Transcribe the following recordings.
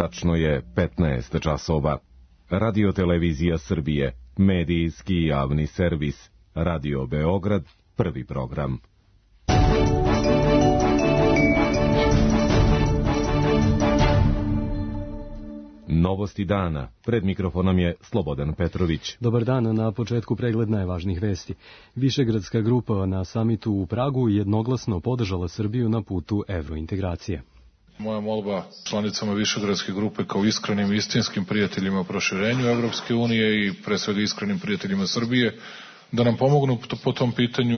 Tačno je 15 časova. Radio Televizija Srbije, medijski javni servis, Radio Beograd, prvi program. Novosti dana. Pred mikrofonom je Slobodan Petrović. Dobar dan, na početku pregled najvažnijih vesti. Višegradska grupa na samitu u Pragu jednoglasno podržala Srbiju na putu evrointegracije. Moja molba članicama Višegradske grupe kao iskrenim i istinskim prijateljima proširenju Evropske unije i pre svega iskrenim prijateljima Srbije da nam pomognu po tom pitanju.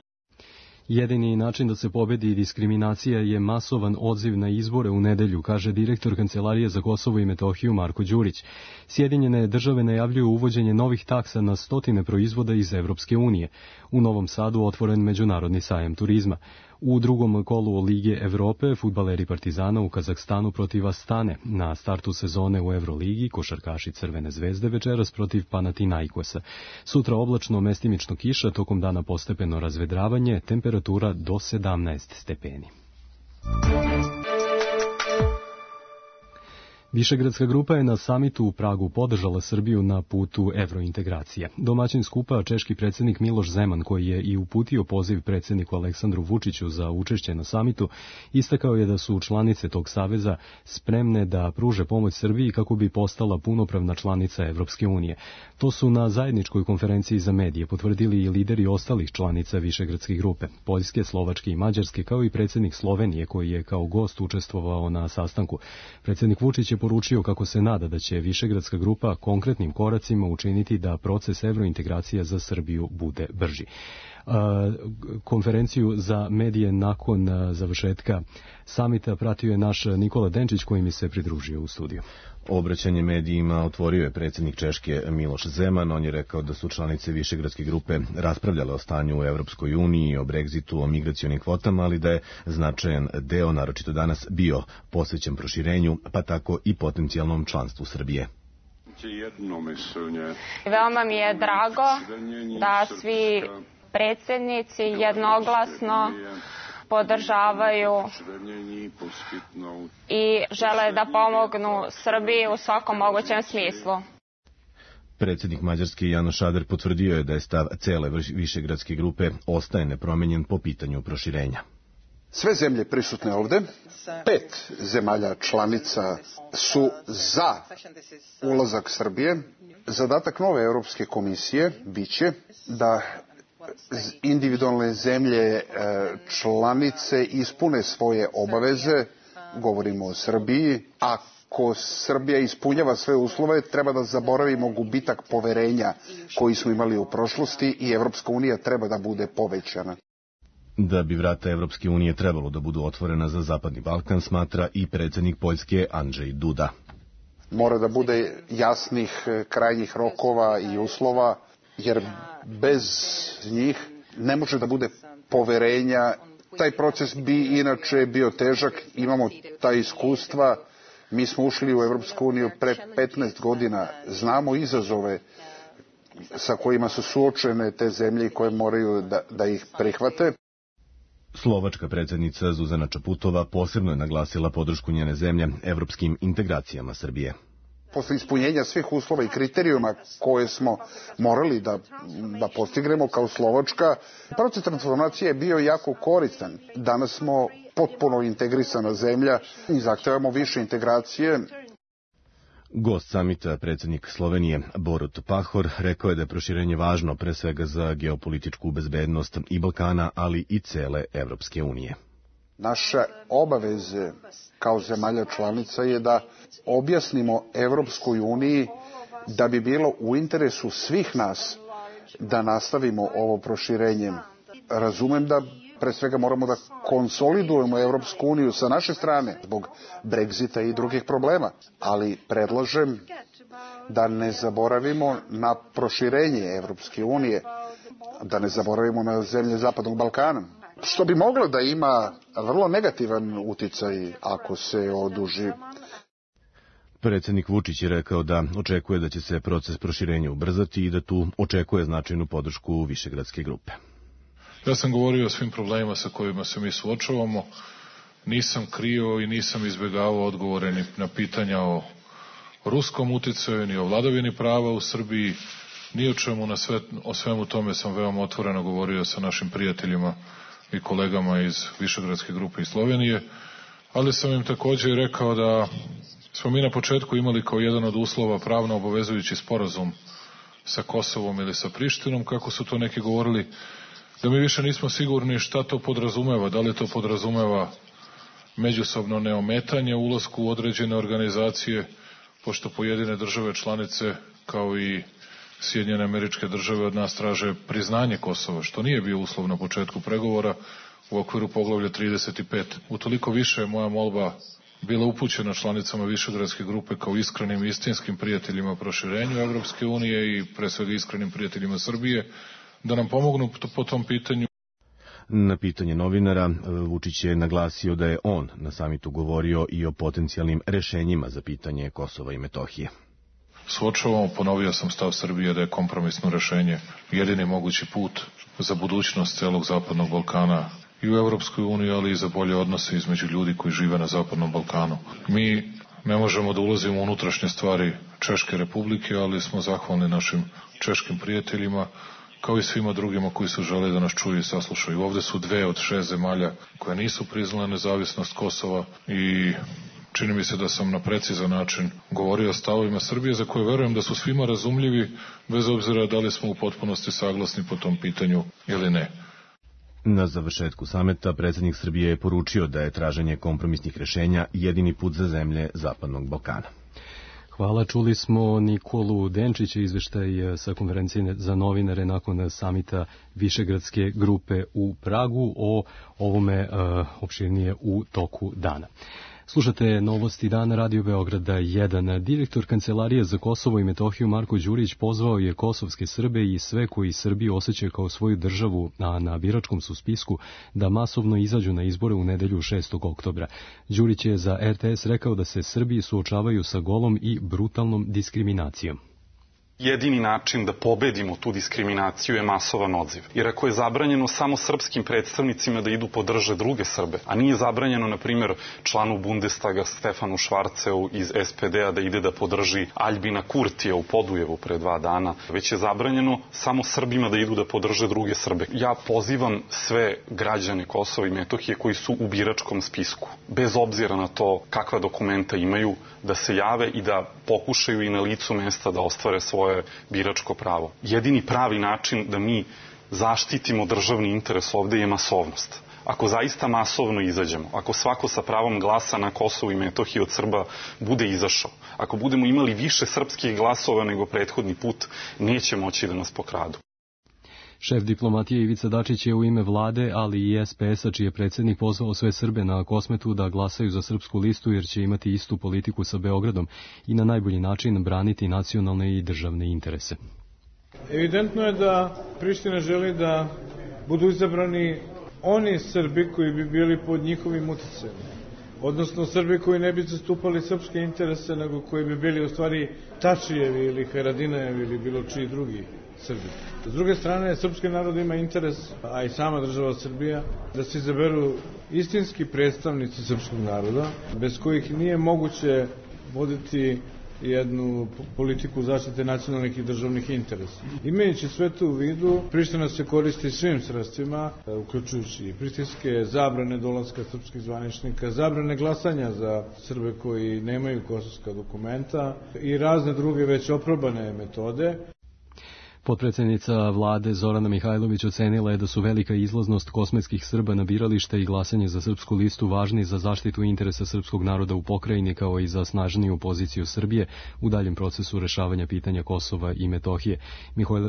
Jedini način da se pobedi diskriminacija je masovan odziv na izbore u nedelju, kaže direktor Kancelarije za Kosovo i Metohiju Marko Đurić. Sjedinjene države najavljuju uvođenje novih taksa na stotine proizvoda iz Evropske unije. U Novom Sadu otvoren međunarodni sajam turizma. U drugom kolu Lige Evrope fudbaleri Partizana u Kazahstanu protiv Astane. Na startu sezone u Evroligi košarkaši Crvene zvezde večeras protiv Panathinaikosa. Sutra oblačno, mestimično kiša, tokom dana postepeno razvedravanje, temperatura do 17 stepeni. Višegradska grupa je na samitu u Pragu podržala Srbiju na putu evrointegracije. Domaćin skupa, češki predsjednik Miloš Zeman, koji je i uputio poziv predsjedniku Aleksandru Vučiću za učešće na samitu, istakao je da su članice tog saveza spremne da pruže pomoć Srbiji kako bi postala punopravna članica Evropske unije. To su na zajedničkoj konferenciji za medije potvrdili i lideri ostalih članica Višegradske grupe, Poljske, Slovačke i Mađarske, kao i predsjednik Slovenije, koji je kao gost učestvovao na sastanku. Predsjednik Vučić je poručio kako se nada da će Višegradska grupa konkretnim koracima učiniti da proces evrointegracija za Srbiju bude brži. Konferenciju za medije nakon završetka samita pratio je naš Nikola Denčić, koji mi se pridružio u studiju. Obraćanje medijima otvorio je predsjednik Češke Miloš Zeman. On je rekao da su članice Višegradske grupe raspravljale o stanju u Evropskoj uniji, o Brexitu, o migracionim kvotama, ali da je značajan deo, naročito danas, bio posvećen proširenju, pa tako i potencijalnom članstvu Srbije. Veoma mi je drago da svi predsjednici jednoglasno podržavaju i žele da pomognu Srbiji u svakom mogućem smislu. Predsjednik Mađarske Janoš Ader potvrdio je da je stav cele Višegradske grupe ostaje nepromenjen po pitanju proširenja. Sve zemlje prisutne ovde, 5 zemalja članica su za ulazak Srbije. Zadatak nove Europske komisije biće da individualne zemlje članice ispune svoje obaveze, govorimo o Srbiji. Ako Srbija ispunjava sve uslove, treba da zaboravimo gubitak poverenja koji smo imali u prošlosti i Evropska unija treba da bude povećana. Da bi vrata Evropske unije trebalo da budu otvorena za Zapadni Balkan, smatra i predsjednik Poljske Andrzej Duda. Mora da bude jasnih krajnjih rokova i uslova, jer bez njih ne može da bude poverenja. Taj proces bi inače bio težak, imamo ta iskustva, mi smo ušli u Evropsku uniju pre 15 godina, znamo izazove sa kojima su suočene te zemlje koje moraju da ih prihvate. Slovačka predsjednica Zuzana Čaputova posebno je naglasila podršku njene zemlje evropskim integracijama Srbije. Posle ispunjenja svih uslova i kriterijuma koje smo morali da postignemo kao Slovačka, proces transformacije je bio jako koristan. Danas smo potpuno integrisana zemlja i zahtevamo više integracije. Gost samita, predsjednik Slovenije Borut Pahor, rekao je da je proširenje važno pre svega za geopolitičku bezbednost i Balkana, ali i cele Evropske unije. Naše obaveze kao zemalja članica je da objasnimo Evropskoj uniji da bi bilo u interesu svih nas da nastavimo ovo proširenje. Razumem da pre svega moramo da konsolidujemo Evropsku uniju sa naše strane zbog Brexita i drugih problema, ali predlažem da ne zaboravimo na proširenje Evropske unije, da ne zaboravimo na zemlje Zapadnog Balkana, što bi moglo da ima vrlo negativan uticaj ako se oduži. Predsjednik Vučić je rekao da očekuje da će se proces proširenja ubrzati i da tu očekuje značajnu podršku Višegradske grupe. Ja sam govorio o svim problemima sa kojima se mi suočavamo. Nisam krio i nisam izbjegavao odgovore na pitanja o ruskom uticaju, ni o vladavini prava u Srbiji, ni o čemu. O svemu tome sam veoma otvoreno govorio sa našim prijateljima i kolegama iz Višegradske grupe iz Slovenije, ali sam im takođe i rekao da smo mi na početku imali kao jedan od uslova pravno obavezujući sporazum sa Kosovom ili sa Prištinom, kako su to neki govorili, da mi više nismo sigurni šta to podrazumeva, da li to podrazumeva međusobno neometanje u ulasku u određene organizacije, pošto pojedine države članice, kao i Sjedinjene Američke Države, od nas traže priznanje Kosova, što nije bio uslov na početku pregovora u okviru poglavlja 35. Utoliko više je moja molba bila upućena članicama Višegradske grupe kao iskrenim i istinskim prijateljima proširenju Evropske unije i pre svega iskrenim prijateljima Srbije, da nam pomognu po tom pitanju. Na pitanje novinara, Vučić je naglasio da je on na samitu govorio i o potencijalnim rešenjima za pitanje Kosova i Metohije. Suočavamo, ponovio sam stav Srbije da je kompromisno rešenje jedini mogući put za budućnost celog Zapadnog Balkana i u Evropskoj uniji, ali i za bolje odnose između ljudi koji žive na Zapadnom Balkanu. Mi ne možemo da ulazimo u unutrašnje stvari Češke Republike, ali smo zahvalni našim češkim prijateljima, kao i svima drugima koji su žele da nas čuju i saslušaju. Ovde su 2 od 6 zemalja koje nisu priznale nezavisnost Kosova i čini mi se da sam na precizan način govorio o stavovima Srbije, za koje verujem da su svima razumljivi, bez obzira da li smo u potpunosti saglasni po tom pitanju ili ne. Na završetku sameta predsjednik Srbije je poručio da je traženje kompromisnih rešenja jedini put za zemlje Zapadnog Balkana. Hvala, čuli smo Nikolu Denčića, izveštaj sa konferencije za novinare nakon samita Višegradske grupe u Pragu, o ovome opširnije u toku dana. Slušate novosti dana Radio Beograda 1. Direktor Kancelarije za Kosovo i Metohiju Marko Đurić pozvao je kosovske Srbe i sve koji Srbiju osjećaju kao svoju državu, a na biračkom su spisku, da masovno izađu na izbore u nedelju 6. oktobra. Đurić je za RTS rekao da se Srbi suočavaju sa golom i brutalnom diskriminacijom. Jedini način da pobedimo tu diskriminaciju je masovan odziv. Jer ako je zabranjeno samo srpskim predstavnicima da idu podrže druge Srbe, a nije zabranjeno, na primjer, članu Bundestaga Stefanu Švarceu iz SPD-a da ide da podrži Aljbina Kurtija u Podujevu pre 2 dana, već je zabranjeno samo Srbima da idu da podrže druge Srbe. Ja pozivam sve građane Kosova i Metohije koji su u biračkom spisku, bez obzira na to kakva dokumenta imaju, da se jave i da pokušaju i na licu mesta da ostvare svoje biračko pravo. Jedini pravi način da mi zaštitimo državni interes ovde je masovnost. Ako zaista masovno izađemo, ako svako sa pravom glasa na Kosovu i Metohiji od Srba bude izašao, ako budemo imali više srpskih glasova nego prethodni put, neće moći da nas pokradu. Šef diplomatije Ivica Dačić je u ime vlade, ali i SPS-a, čiji je predsjednik, pozvao sve Srbe na Kosmetu da glasaju za srpsku listu, jer će imati istu politiku sa Beogradom i na najbolji način braniti nacionalne i državne interese. Evidentno je da Priština želi da budu izabrani oni Srbi koji bi bili pod njihovim uticajem, odnosno Srbi koji ne bi zastupali srpske interese, nego koji bi bili u stvari Tačijevi ili Haradinajevi ili bilo čiji drugi Srbi. S druge strane, srpski narod ima interes, a i sama država Srbija, da se izaberu istinski predstavnici srpskog naroda, bez kojih nije moguće voditi jednu politiku zaštite nacionalnih i državnih interesa. Imajući sve to u vidu, Priština se koristi svim sredstvima, uključujući i pritiske, zabrane dolaska srpskih zvaničnika, zabrane glasanja za Srbe koji nemaju kosovska dokumenta i razne druge već oprobane metode. Potpredsjednica vlade Zorana Mihajlović ocenila je da su velika izlaznost kosmetskih Srba na biralište i glasanje za srpsku listu važni za zaštitu interesa srpskog naroda u pokrajini, kao i za snažniju poziciju Srbije u daljem procesu rešavanja pitanja Kosova i Metohije.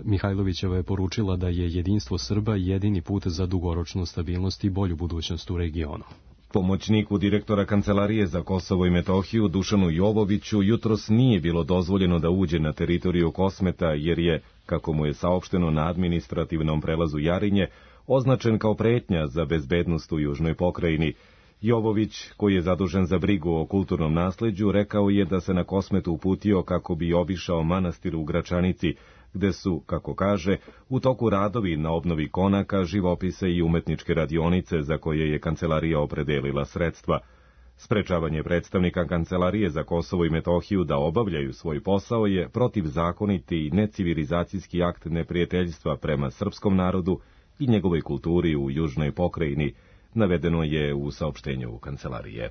Mihajlovićeva je poručila da je jedinstvo Srba jedini put za dugoročnu stabilnost i bolju budućnost u regionu. Pomoćniku direktora Kancelarije za Kosovo i Metohiju Dušanu Jovoviću jutros nije bilo dozvoljeno da uđe na teritoriju Kosmeta, jer je, kako mu je saopšteno na administrativnom prelazu Jarinje, označen kao pretnja za bezbednost u južnoj pokrajini. Jovović, koji je zadužen za brigu o kulturnom nasleđu, rekao je da se na Kosmetu uputio kako bi obišao manastir u Gračanici, gde su, kako kaže, u toku radovi na obnovi konaka, živopise i umetničke radionice za koje je kancelarija opredelila sredstva. Sprečavanje predstavnika Kancelarije za Kosovo i Metohiju da obavljaju svoj posao je protivzakoniti i necivilizacijski akt neprijateljstva prema srpskom narodu i njegovoj kulturi u južnoj pokrajini, navedeno je u saopštenju Kancelarije.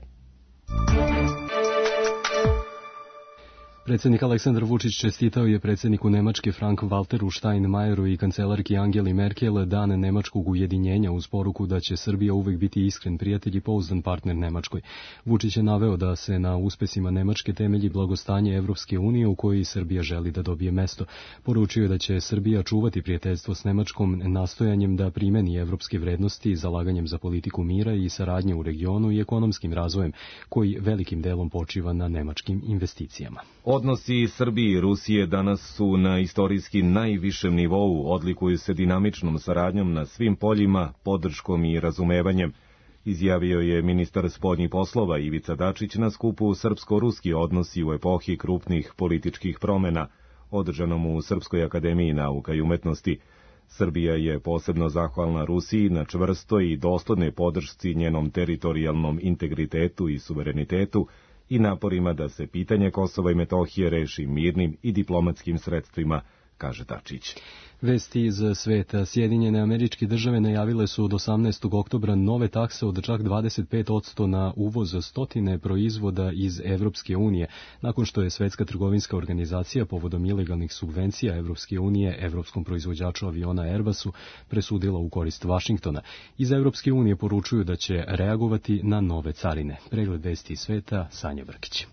Predsjednik Aleksandar Vučić čestitao je predsjedniku Nemačke Frank-Walteru Steinmeieru i kancelarki Angeli Merkel dan nemačkog ujedinjenja uz poruku da će Srbija uvek biti iskren prijatelj i pouzdan partner Nemačkoj. Vučić je naveo da se na uspesima Nemačke temelji blagostanje Evropske unije u kojoj Srbija želi da dobije mesto. Poručio je da će Srbija čuvati prijateljstvo s Nemačkom nastojanjem da primeni evropske vrednosti, zalaganjem za politiku mira i saradnje u regionu i ekonomskim razvojem, koji velikim delom počiva na nemačkim investicijama. Odnosi Srbije i Rusije danas su na istorijski najvišem nivou, odlikuju se dinamičnom saradnjom na svim poljima, podrškom i razumevanjem, izjavio je ministar spoljnih poslova Ivica Dačić na skupu Srpsko-ruski odnosi u epohi krupnih političkih promena, održanom u Srpskoj akademiji nauka i umetnosti. Srbija je posebno zahvalna Rusiji na čvrstoj i doslednoj podršci njenom teritorijalnom integritetu i suverenitetu i naporima da se pitanje Kosova i Metohije reši mirnim i diplomatskim sredstvima, kaže Dačić. Vesti iz sveta. Sjedinjene Američke Države najavile su od 18. oktobra nove takse od čak 25% na uvoz stotine proizvoda iz Evropske unije, nakon što je Svetska trgovinska organizacija povodom ilegalnih subvencija Evropske unije evropskom proizvođaču aviona Airbusu presudila u korist Vašingtona. Iz Evropske unije poručuju da će reagovati na nove carine. Pregled vesti iz sveta, Sanja Brkić.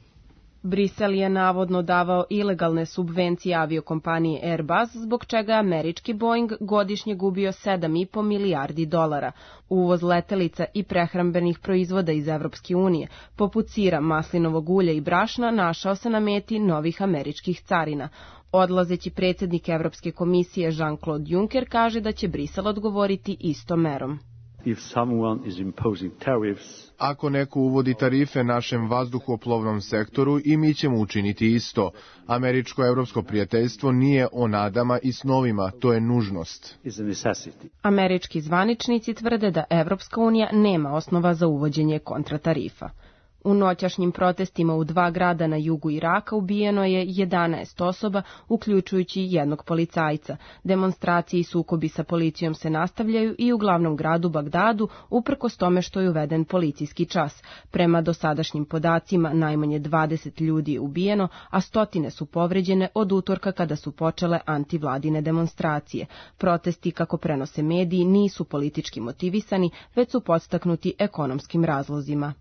Brisel je navodno davao ilegalne subvencije aviokompaniji Airbus, zbog čega je američki Boeing godišnje gubio $7,5 milijardi. Uvoz letelica i prehrambenih proizvoda iz Evropske unije, poput sira, maslinovog ulja i brašna, našao se na meti novih američkih carina. Odlazeći predsjednik Evropske komisije Jean-Claude Juncker kaže da će Brisel odgovoriti istom merom. Ako neko uvodi tarife našem vazduhoplovnom sektoru, i mi ćemo učiniti isto. Američko-evropsko prijateljstvo nije o nadama i snovima, to je nužnost. Američki zvaničnici tvrde da Evropska unija nema osnova za uvođenje kontratarifa. U noćašnjim protestima u 2 grada na jugu Iraka ubijeno je 11 osoba, uključujući jednog policajca. Demonstracije i sukobi sa policijom se nastavljaju i u glavnom gradu Bagdadu, uprkos tome što je uveden policijski čas. Prema dosadašnjim podacima, najmanje 20 ljudi je ubijeno, a stotine su povređene od utorka kada su počele antivladine demonstracije. Protesti, kako prenose mediji, nisu politički motivisani, već su podstaknuti ekonomskim razlozima.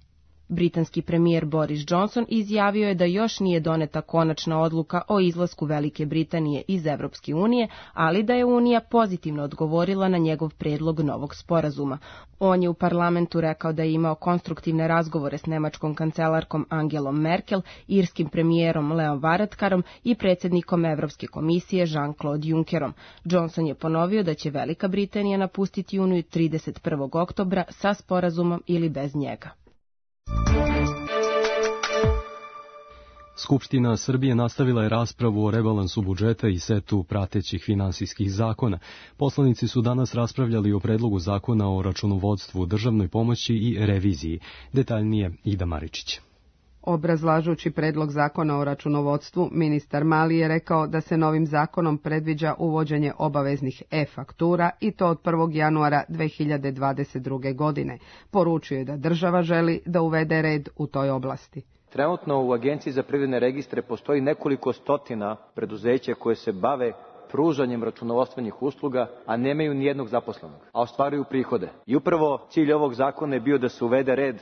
Britanski premijer Boris Johnson izjavio je da još nije doneta konačna odluka o izlasku Velike Britanije iz Evropske unije, ali da je Unija pozitivno odgovorila na njegov predlog novog sporazuma. On je u parlamentu rekao da je imao konstruktivne razgovore s nemačkom kancelarkom Angelom Merkel, irskim premijerom Leom Varadkarom i predsjednikom Evropske komisije Jean-Claude Junckerom. Johnson je ponovio da će Velika Britanija napustiti Uniju 31. oktobra sa sporazumom ili bez njega. Skupština Srbije nastavila je raspravu o rebalansu budžeta i setu pratećih finansijskih zakona. Poslanici su danas raspravljali o predlogu zakona o računovodstvu, državnoj pomoći i reviziji. Detaljnije Ida Maričić. Obrazlažući predlog zakona o računovodstvu, ministar Mali je rekao da se novim zakonom predviđa uvođenje obaveznih e-faktura i to od 1. januara 2022. godine. Poručio je da država želi da uvede red u toj oblasti. Trenutno u Agenciji za privredne registre postoji nekoliko stotina preduzeća koje se bave pružanjem računovodstvenih usluga, a nemaju nijednog zaposlenog, a ostvaruju prihode. I upravo cilj ovog zakona je bio da se uvede red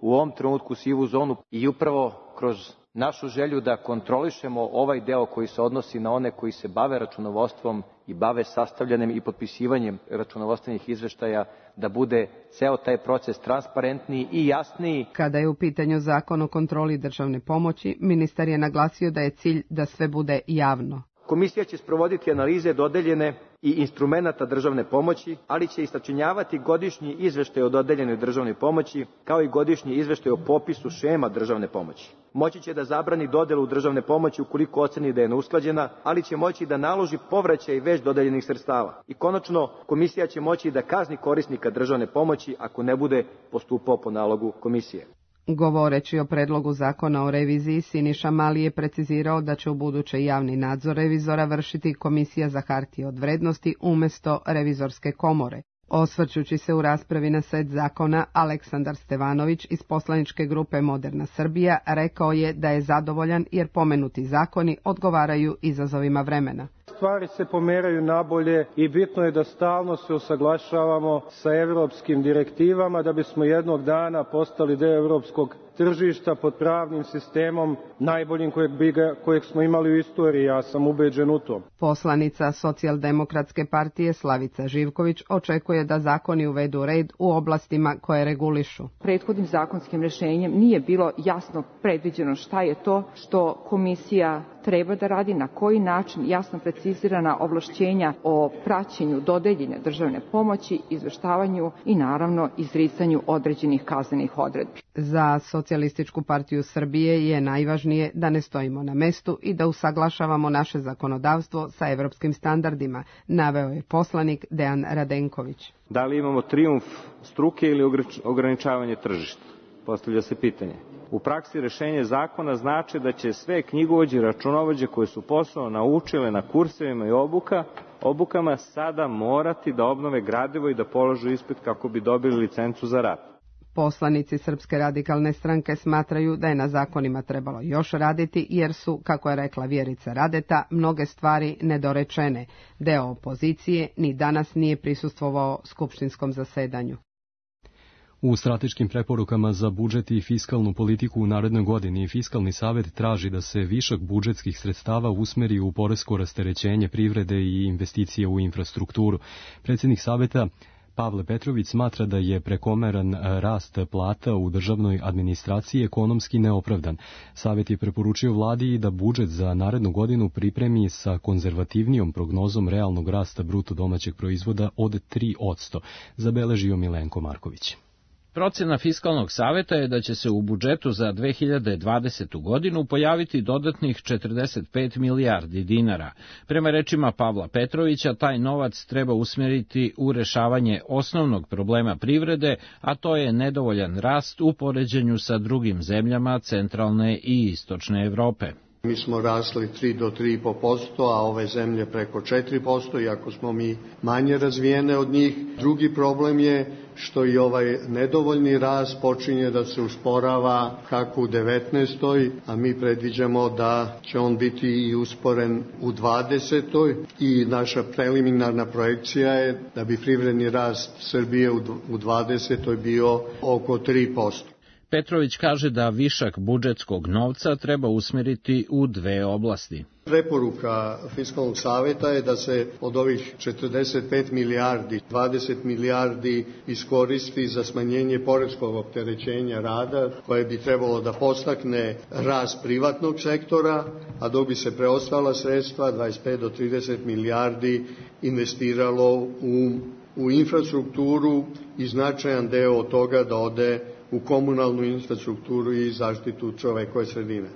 u ovom trenutku sivu zonu i upravo kroz našu želju da kontrolišemo ovaj deo koji se odnosi na one koji se bave računovodstvom i bave sastavljanjem i potpisivanjem računovodstvenih izveštaja, da bude ceo taj proces transparentniji i jasniji. Kada je u pitanju zakon o kontroli državne pomoći, ministar je naglasio da je cilj da sve bude javno. Komisija će sprovoditi analize dodeljene i instrumenata državne pomoći, ali će i sačinjavati godišnji izveštaj o dodeljenoj državnoj pomoći, kao i godišnji izveštaj o popisu šema državne pomoći. Moći će da zabrani dodelu državne pomoći ukoliko oceni da je neusklađena, ali će moći da naloži povraćaj već dodeljenih sredstava. I konačno, komisija će moći da kazni korisnika državne pomoći ako ne bude postupao po nalogu komisije. Govoreći o predlogu zakona o reviziji, Siniša Mali je precizirao da će ubuduće javni nadzor revizora vršiti Komisija za hartije od vrednosti umjesto Revizorske komore. Osvrćući se u raspravi na set zakona, Aleksandar Stevanović iz poslaničke grupe Moderna Srbija rekao je da je zadovoljan jer pomenuti zakoni odgovaraju izazovima vremena. Stvari se pomeraju nabolje i bitno je da stalno se usaglašavamo sa evropskim direktivama da bismo jednog dana postali deo evropskog tržišta pod pravnim sistemom najboljim kojeg smo imali u istoriji, ja sam ubeđen u to. Poslanica Socijaldemokratske partije Slavica Živković očekuje da zakoni uvedu red u oblastima koje regulišu. Prethodnim zakonskim rešenjem nije bilo jasno predviđeno šta je to što komisija treba da radi, na koji način, jasno precizirana ovlašćenja o praćenju dodeljene državne pomoći, izveštavanju i naravno izricanju određenih kaznenih odredbi. Za Socijalističku partiju Srbije je najvažnije da ne stojimo na mestu i da usaglašavamo naše zakonodavstvo sa evropskim standardima, naveo je poslanik Dejan Radenković. Da li imamo trijumf struke ili ograničavanje tržišta? Postavlja se pitanje. U praksi rešenje zakona znači da će sve knjigovođe i računovođe koje su posao naučile na kursevima i obukama sada morati da obnove gradivo i da položu ispit kako bi dobili licencu za rad. Poslanici Srpske radikalne stranke smatraju da je na zakonima trebalo još raditi jer su, kako je rekla Vjerica Radeta, mnoge stvari nedorečene. Deo opozicije ni danas nije prisustvovao skupštinskom zasedanju. U strateškim preporukama za budžet i fiskalnu politiku u narednoj godini Fiskalni savet traži da se višak budžetskih sredstava usmeri u poresko rasterećenje privrede i investicije u infrastrukturu. Predsjednik saveta Pavle Petrović smatra da je prekomeran rast plata u državnoj administraciji ekonomski neopravdan. Savet je preporučio vladi da budžet za narednu godinu pripremi sa konzervativnijom prognozom realnog rasta bruto domaćeg proizvoda od 3%, zabeležio Milenko Marković. Procena Fiskalnog saveta je da će se u budžetu za 2020. godinu pojaviti dodatnih 45 milijardi dinara. Prema rečima Pavla Petrovića, taj novac treba usmjeriti u rešavanje osnovnog problema privrede, a to je nedovoljan rast u poređenju sa drugim zemljama centralne i istočne Evrope. Mi smo rasli 3 do 3,5%, a ove zemlje preko 4%, iako smo mi manje razvijene od njih. Drugi problem je što i ovaj nedovoljni rast počinje da se usporava kako u 19. a mi predviđamo da će on biti i usporen u 20. i naša preliminarna projekcija je da bi privredni rast Srbije u 20. bio oko 3%. Petrović kaže da višak budžetskog novca treba usmjeriti u dve oblasti. Preporuka Fiskalnog saveta je da se od ovih 45 milijardi, 20 milijardi iskoristi za smanjenje poreskog opterećenja rada, koje bi trebalo da podstakne rast privatnog sektora, a dok bi se preostala sredstva, 25 do 30 milijardi, investiralo u infrastrukturu i značajan deo od toga da ode u komunalnu infrastrukturu i zaštitu čovekove sredine.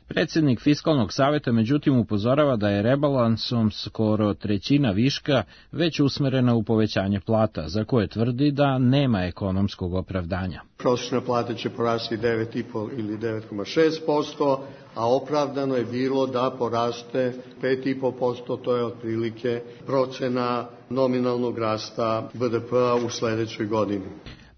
Predsjednik Fiskalnog saveta međutim upozorava da je rebalansom skoro trećina viška već usmerena u povećanje plata, za koje tvrdi da nema ekonomskog opravdanja. Prosječna plata će porasti 9,5 ili 9,6%, a opravdano je bilo da poraste 5,5%, to je otprilike procena nominalnog rasta BDP-a u sledećoj godini.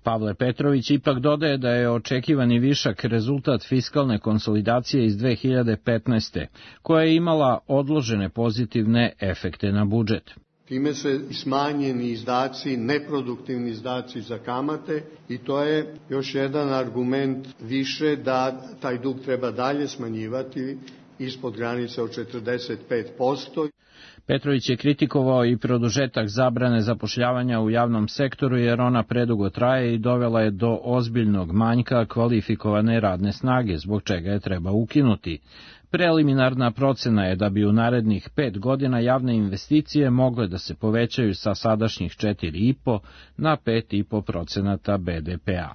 Pavle Petrović ipak dodaje da je očekivani višak rezultat fiskalne konsolidacije iz 2015. koja je imala odložene pozitivne efekte na budžet. Time se smanjeni izdaci, neproduktivni izdaci za kamate i to je još jedan argument više da taj dug treba dalje smanjivati ispod granice od 45%. Petrović je kritikovao i produžetak zabrane zapošljavanja u javnom sektoru jer ona predugo traje i dovela je do ozbiljnog manjka kvalifikovane radne snage, zbog čega je treba ukinuti. Preliminarna procena je da bi u narednih 5 godina javne investicije mogle da se povećaju sa sadašnjih 4,5 na 5,5% BDP-a.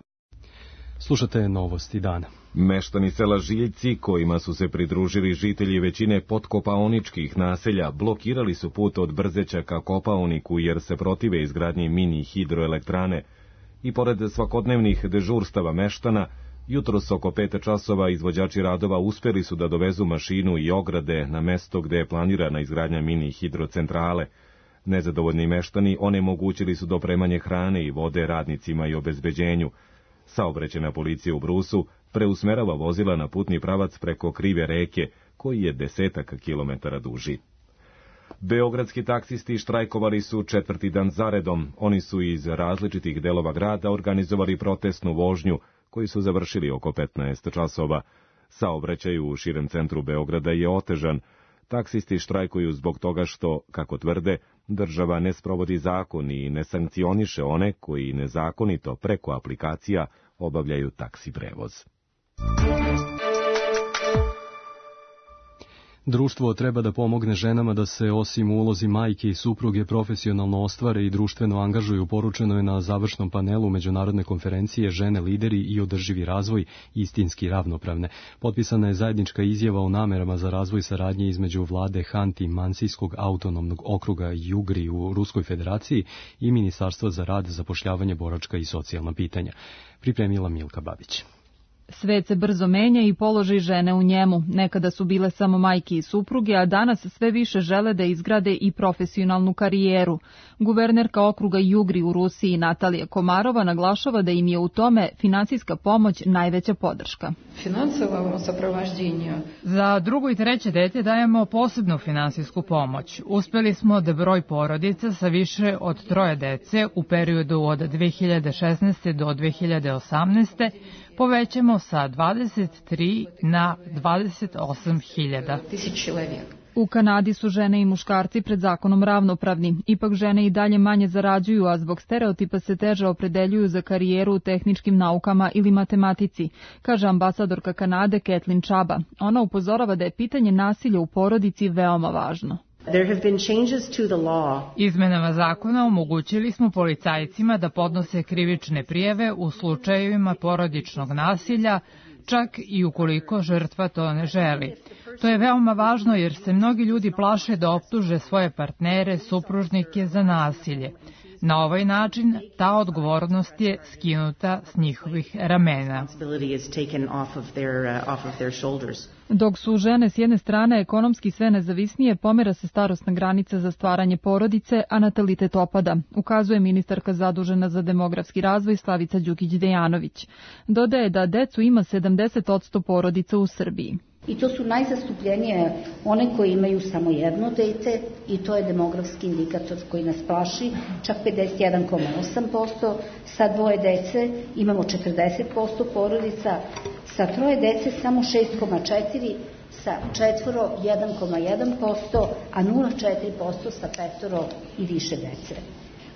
Slušate novosti dana. Meštani sela Žiljci, kojima su se pridružili žitelji većine podkopaoničkih naselja, blokirali su put od Brzeća ka Kopaoniku jer se protive izgradnji mini hidroelektrane. I pored svakodnevnih dežurstava meštana, Jutros oko 5 časova izvođači radova uspeli su da dovezu mašinu i ograde na mesto gde je planirana izgradnja mini hidrocentrale. Nezadovoljni meštani onemogućili su dopremanje hrane i vode radnicima i obezbeđenju. Saobraćajna policija u Brusu preusmerava vozila na putni pravac preko krive reke, koji je 10 kilometara duži. Beogradski taksisti štrajkovali su 4. dan zaredom. Oni su iz različitih delova grada organizovali protestnu vožnju, koji su završili oko 15 časova. Saobraćaj u širem centru Beograda je otežan. Taksisti štrajkuju zbog toga što, kako tvrde, država ne sprovodi zakon i ne sankcioniše one koji nezakonito preko aplikacija obavljaju taksi prevoz. Društvo treba da pomogne ženama da se osim u ulozi majke i supruge profesionalno ostvare i društveno angažuju, poručeno je na završnom panelu međunarodne konferencije Žene lideri i održivi razvoj istinski ravnopravne. Potpisana je zajednička izjava o namerama za razvoj saradnje između vlade Hanti-Mansijskog autonomnog okruga Jugri u Ruskoj federaciji i Ministarstva za rad, zapošljavanje, boračka i socijalna pitanja. Pripremila Milka Babić. Svet se brzo menja i položaj žene u njemu. Nekada su bile samo majke i supruge, a danas sve više žele da izgrade i profesionalnu karijeru. Guvernerka okruga Jugri u Rusiji Natalija Komarova naglašava da im je u tome finansijska pomoć najveća podrška. Za drugo i treće dete dajemo posebnu finansijsku pomoć. Uspeli smo da broj porodica sa više od 3 dece u periodu od 2016. do 2018. povećamo sa 23 na 28.000. U Kanadi su žene i muškarci pred zakonom ravnopravni. Ipak žene i dalje manje zarađuju, a zbog stereotipa se teže opredeljuju za karijeru u tehničkim naukama ili matematici, kaže ambasadorka Kanade Kathleen Chaba. Ona upozorava da je pitanje nasilja u porodici veoma važno. Izmenama zakona omogućili smo policajcima da podnose krivične prijave u slučajevima porodičnog nasilja, čak i ukoliko žrtva to ne želi. To je veoma važno jer se mnogi ljudi plaše da optuže svoje partnere, supružnike za nasilje. Na ovaj način ta odgovornost je skinuta s njihovih ramena. Dok su žene s jedne strane ekonomski sve nezavisnije, pomera se starosna granica za stvaranje porodice, a natalitet opada, ukazuje ministarka zadužena za demografski razvoj Slavica Đukić-Dejanović. Dodaje da decu ima 70% porodica u Srbiji. I to su najzastupljenije one koje imaju samo jedno dete i to je demografski indikator koji nas plaši, čak 51,8%, sa 2 dece imamo 40% porodica, sa 3 dece samo 6,4%, sa 4 1,1%, a 0,4% sa 5 i više dece.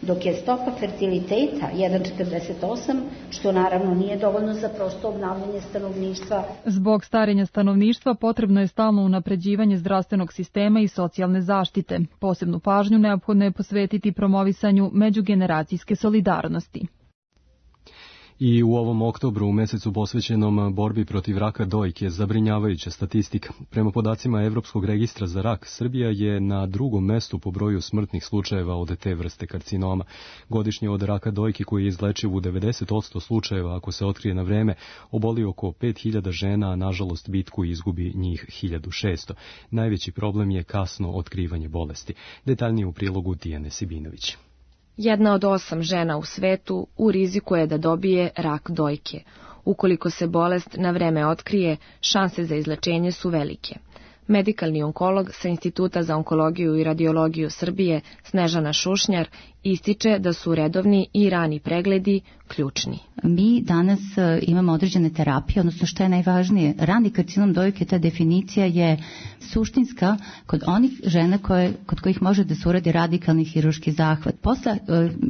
Dok je stopa fertiliteta 1,48, što naravno nije dovoljno za prosto obnavljanje stanovništva. Zbog starenja stanovništva potrebno je stalno unapređivanje zdravstvenog sistema i socijalne zaštite. Posebnu pažnju neophodno je posvetiti promovisanju međugeneracijske solidarnosti. I u ovom oktobru, u mesecu posvećenom borbi protiv raka dojke, zabrinjavajuća statistika. Prema podacima Evropskog registra za rak, Srbija je na 2. mestu po broju smrtnih slučajeva od te vrste karcinoma. Godišnje od raka dojke, koji je izlečiv u 90% slučajeva ako se otkrije na vreme, oboli oko 5000 žena, a nažalost bitku izgubi njih 1600. Najveći problem je kasno otkrivanje bolesti. Detaljnije u prilogu Tijane Sibinović. 1 od 8 žena u svetu u riziku je da dobije rak dojke. Ukoliko se bolest na vreme otkrije, šanse za izlečenje su velike. Medikalni onkolog sa Instituta za onkologiju i radiologiju Srbije, Snežana Šušnjar, ističe da su redovni i rani pregledi ključni. Mi danas imamo određene terapije, odnosno što je najvažnije, rani karcinom dojke, ta definicija je suštinska kod onih žena kod kojih može da se uradi radikalni hirurški zahvat. Posle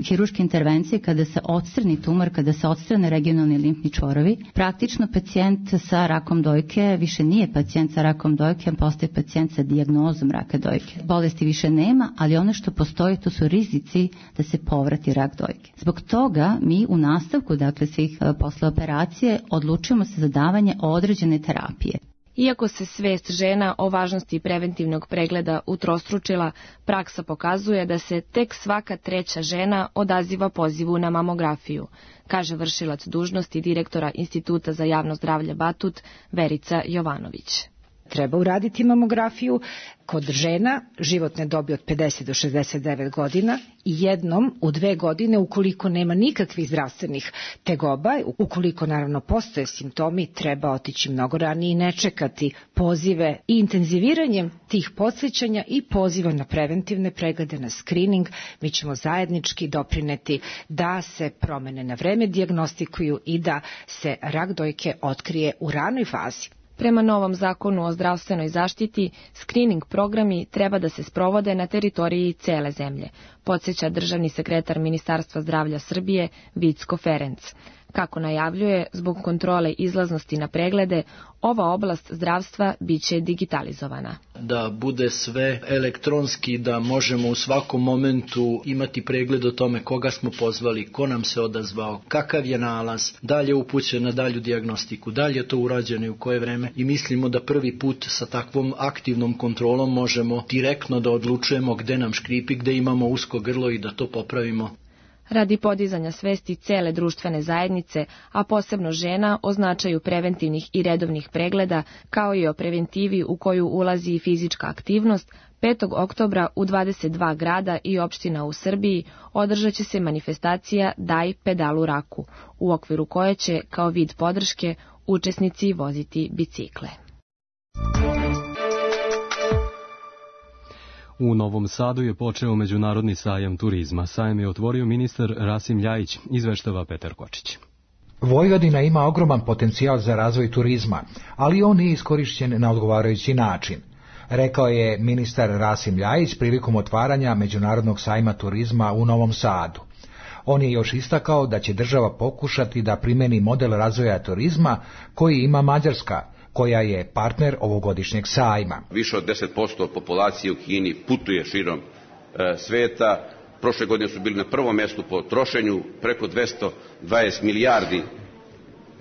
hirurške intervencije, kada se odstrani tumor, kada se odstrane regionalni limfni čvorovi, praktično pacijent sa rakom dojke više nije pacijent sa rakom dojke, postaje pacijent sa dijagnozom raka dojke. Bolesti više nema, ali ono što postoji, to su rizici da se povrati rak dojke. Zbog toga mi u nastavku, dakle svih posle operacije, odlučujemo se za davanje određene terapije. Iako se svest žena o važnosti preventivnog pregleda utrostručila, praksa pokazuje da se tek svaka treća žena odaziva pozivu na mamografiju, kaže vršilac dužnosti direktora Instituta za javno zdravlje Batut Verica Jovanović. Treba uraditi mamografiju kod žena životne dobi od 50 do 69 godina i jednom u 2 godine ukoliko nema nikakvih zdravstvenih tegoba, ukoliko naravno postoje simptomi, treba otići mnogo ranije i ne čekati pozive i intenziviranjem tih podsjećanja i poziva na preventivne preglede, na screening. Mi ćemo zajednički doprineti da se promene na vreme dijagnostikuju i da se rak dojke otkrije u ranoj fazi. Prema novom zakonu o zdravstvenoj zaštiti, screening programi treba da se sprovode na teritoriji cele zemlje, podsjeća državni sekretar Ministarstva zdravlja Srbije Vicko Ferenc. Kako najavljuje, zbog kontrole izlaznosti na preglede, ova oblast zdravstva biće digitalizovana. Da bude sve elektronski, da možemo u svakom momentu imati pregled o tome koga smo pozvali, ko nam se odazvao, kakav je nalaz, da li je upućen na dalju dijagnostiku, da li je to urađeno i u koje vreme. I mislimo da prvi put sa takvom aktivnom kontrolom možemo direktno da odlučujemo gde nam škripi, gde imamo usko grlo i da to popravimo. Radi podizanja svesti cele društvene zajednice, a posebno žena, o značaju preventivnih i redovnih pregleda, kao i o preventivi u koju ulazi i fizička aktivnost, 5. oktobra u 22 grada i opština u Srbiji održat će se manifestacija Daj pedalu raku, u okviru koje će, kao vid podrške, učesnici voziti bicikle. U Novom Sadu je počeo Međunarodni sajam turizma. Sajam je otvorio ministar Rasim Ljajić, izveštava Petar Kočić. Vojvodina ima ogroman potencijal za razvoj turizma, ali on nije iskorišćen na odgovarajući način, rekao je ministar Rasim Ljajić prilikom otvaranja Međunarodnog sajma turizma u Novom Sadu. On je još istakao da će država pokušati da primeni model razvoja turizma koji ima Mađarska, koja je partner ovogodišnjeg sajma. Više od 10% populacije u Kini putuje širom sveta. Prošle godine su bili na prvom mjestu po trošenju, preko 220 milijardi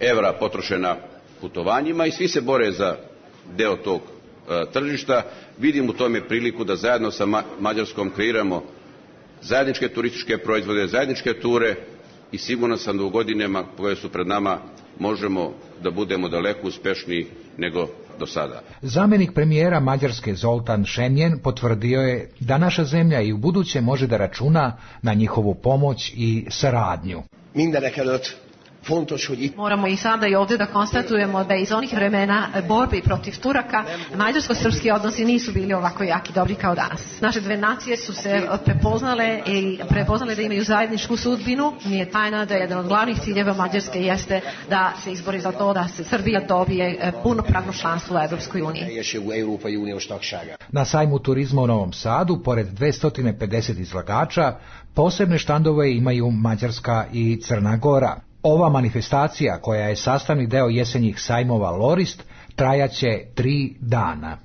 evra potrošena putovanjima i svi se bore za deo tog tržišta. Vidim u tome priliku da zajedno sa Mađarskom kreiramo zajedničke turističke proizvode, zajedničke ture i sigurno sam da u godinama koje su pred nama možemo da budemo daleko uspešniji nego do sada. Zamjenik premijera Mađarske Zoltan Šemjen potvrdio je da naša zemlja i u buduće može da računa na njihovu pomoć i saradnju. Moramo i sada i ovdje da konstatujemo da iz onih vremena borbe protiv Turaka mađarsko-srpski odnosi nisu bili ovako jaki dobri kao danas. Naše dve nacije su se prepoznale da imaju zajedničku sudbinu. Nije tajna da jedan od glavnih ciljeva Mađarske jeste da se izbori za to da se Srbija dobije punopravno članstvo u Evropskoj uniji. Na sajmu turizma u Novom Sadu, pored 250 izlagača, posebne štandove imaju Mađarska i Crna Gora. Ova manifestacija, koja je sastavni deo jesenjih sajmova Lorist, trajaće 3 dana.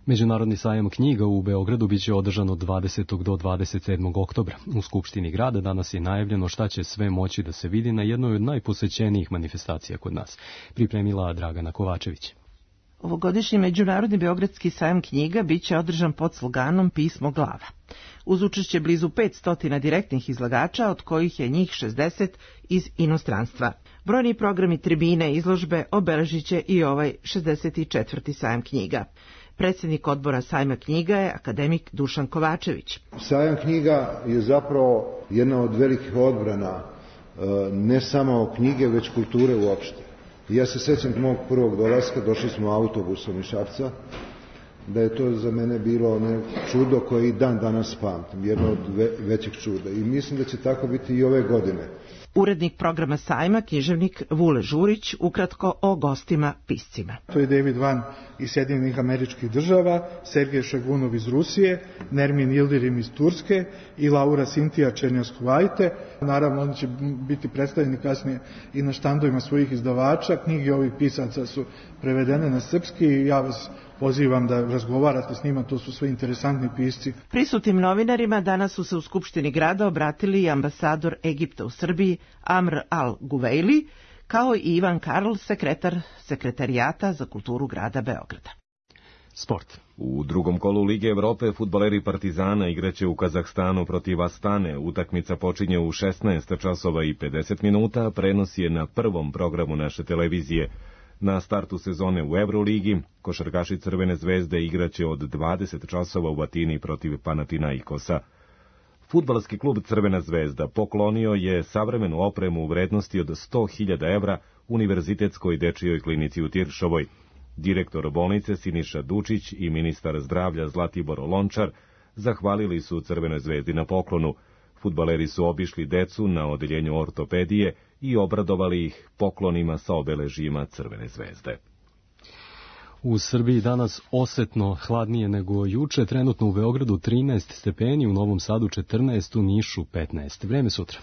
Međunarodni sajam knjiga u Beogradu biće održan od 20. do 27. oktobra. U Skupštini grada danas je najavljeno šta će sve moći da se vidi na jednoj od najposećenijih manifestacija kod nas, pripremila Dragana Kovačević. Ovogodišnji Međunarodni beogradski sajam knjiga biće održan pod sloganom Pismo glava. Uz učešće blizu 500 direktnih izlagača, od kojih je njih 60 iz inostranstva. Brojni programi, tribine, izložbe obeležit će i ovaj 64. sajam knjiga. Predsjednik odbora sajma knjiga je akademik Dušan Kovačević. Sajam knjiga je zapravo jedna od velikih odbrana ne samo knjige, već kulture uopšte. Ja se sjećam mog prvog dolaska, došli smo autobusom iz Šapca, da je to za mene bilo čudo koje i dan danas pamtim, jedno od većih čuda. I mislim da će tako biti i ove godine. Urednik programa sajma, književnik Vule Žurić, ukratko o gostima piscima. To je David Van iz Sjedinjenih Američkih Država, Sergej Šagunov iz Rusije, Nermin Yildirim iz Turske i Laura Sintija Černjavskuvajte. Naravno, oni će biti predstavljeni kasnije i na štandovima svojih izdavača. Knjige ovih pisaca su prevedene na srpski i ja vas pozivam da razgovarate s njima, to su sve interesantni pisci. Prisutnim novinarima danas su se u Skupštini grada obratili i ambasador Egipta u Srbiji Amr al-Guveili, kao i Ivan Karl, sekretar Sekretarijata za kulturu grada Beograda. Sport. U drugom kolu Lige Evrope fudbaleri Partizana igraće u Kazahstanu protiv Astane. Utakmica počinje u 16 časova i 50 minuta, prenos je na prvom programu naše televizije. Na startu sezone u Euroligi, košarkaši Crvene zvezde igraće od 20 časova u Atini protiv Panathinaikosa. Fudbalski klub Crvena zvezda poklonio je savremenu opremu u vrednosti od 100.000 evra Univerzitetskoj dečijoj klinici u Tiršovoj. Direktor bolnice Siniša Dučić i ministar zdravlja Zlatibor Lončar zahvalili su Crvenoj zvezdi na poklonu. Fudbaleri su obišli decu na odeljenju ortopedije i obradovali ih poklonima sa obeležjima Crvene zvezde. U Srbiji danas osetno hladnije nego juče, trenutno u Beogradu 13 stepeni, u Novom Sadu 14, u Nišu 15. Vreme sutra.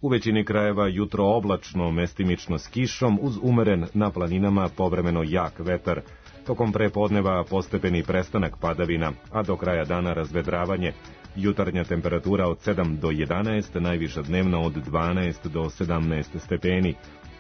U većini krajeva jutro oblačno, mestimično s kišom, uz umeren na planinama povremeno jak vetar. Tokom prepodneva postepeni prestanak padavina, a do kraja dana razvedravanje. Jutarnja temperatura od 7 do 11, najviša dnevna od 12 do 17 stepeni.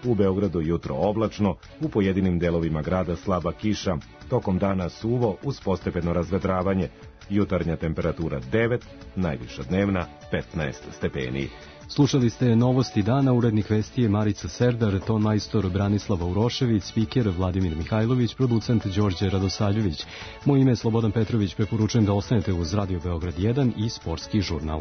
U Beogradu jutro oblačno, u pojedinim delovima grada slaba kiša, tokom dana suvo uz postepeno razvedravanje. Jutarnja temperatura 9, najviša dnevna 15 stepeni. Slušali ste novosti dana, urednik vesti je Marica Serdar, ton majstor Branislava Urošević, spiker Vladimir Mihajlović, producent Đorđe Radosaljević. Moje ime je Slobodan Petrović, preporučujem da ostanete uz Radio Beograd 1 i Sportski žurnal.